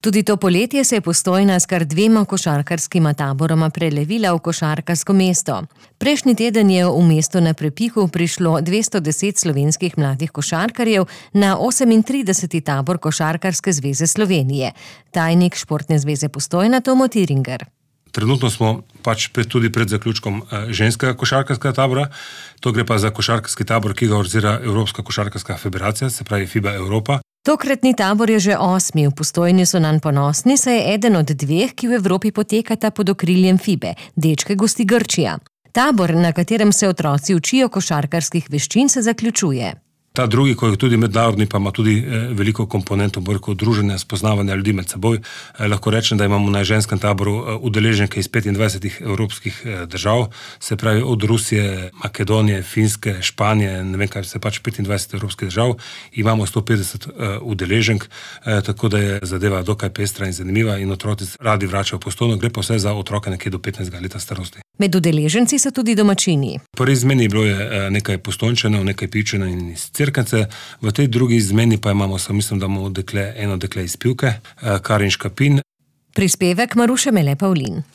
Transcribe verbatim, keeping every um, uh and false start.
Tudi to poletje se je Postojna s kar dvema košarkarskima taboroma prelevila v košarkarsko mesto. Prejšnji teden je v mesto na Prepihu prišlo dvesto deset slovenskih mladih košarkarjev na osemintrideseti tabor Košarkarske zveze Slovenije. Tajnik Športne zveze Postojna Tomo Tiringer. Trenutno smo pač pred, tudi pred zaključkom ženskega košarkarskega tabora. To gre pa za košarkarski tabor, ki ga organizira Evropska košarkarska federacija, se pravi FIBA Evropa. Tokratni tabor je že osmi, v Postojni so nanj ponosni, saj je eden od dveh, ki v Evropi potekata pod okriljem FIBE. Dečke gosti Grčija. Tabor, na katerem se otroci učijo košarkarskih veščin, se zaključuje. Ta drugi, ko je tudi mednarodni, pa ima tudi veliko komponentov, bolj druženja, spoznavanja ljudi med seboj. Lahko rečem, da imamo na ženskem taboru udeleženke iz petindvajsetih evropskih držav, se pravi od Rusije, Makedonije, Finske, Španije, ne vem kaj, se pač petindvajset evropskih držav. Imamo sto petdeset udeleženk, tako da je zadeva dokaj pestra in zanimiva in otroci radi vračajo v Postojno, gre pa vse za otroke nekje do petnajstega leta starosti. Med udeleženci so tudi domačini. Po izmeni bilo je nekaj Postojnčanov, nekaj Pivčanov in iz Cerknice. V tej drugi izmeni pa imamo, mislim, da imamo dekle, eno dekle iz Pivke, Karin Škapin. Prispevek Maruše Mele Pavlin.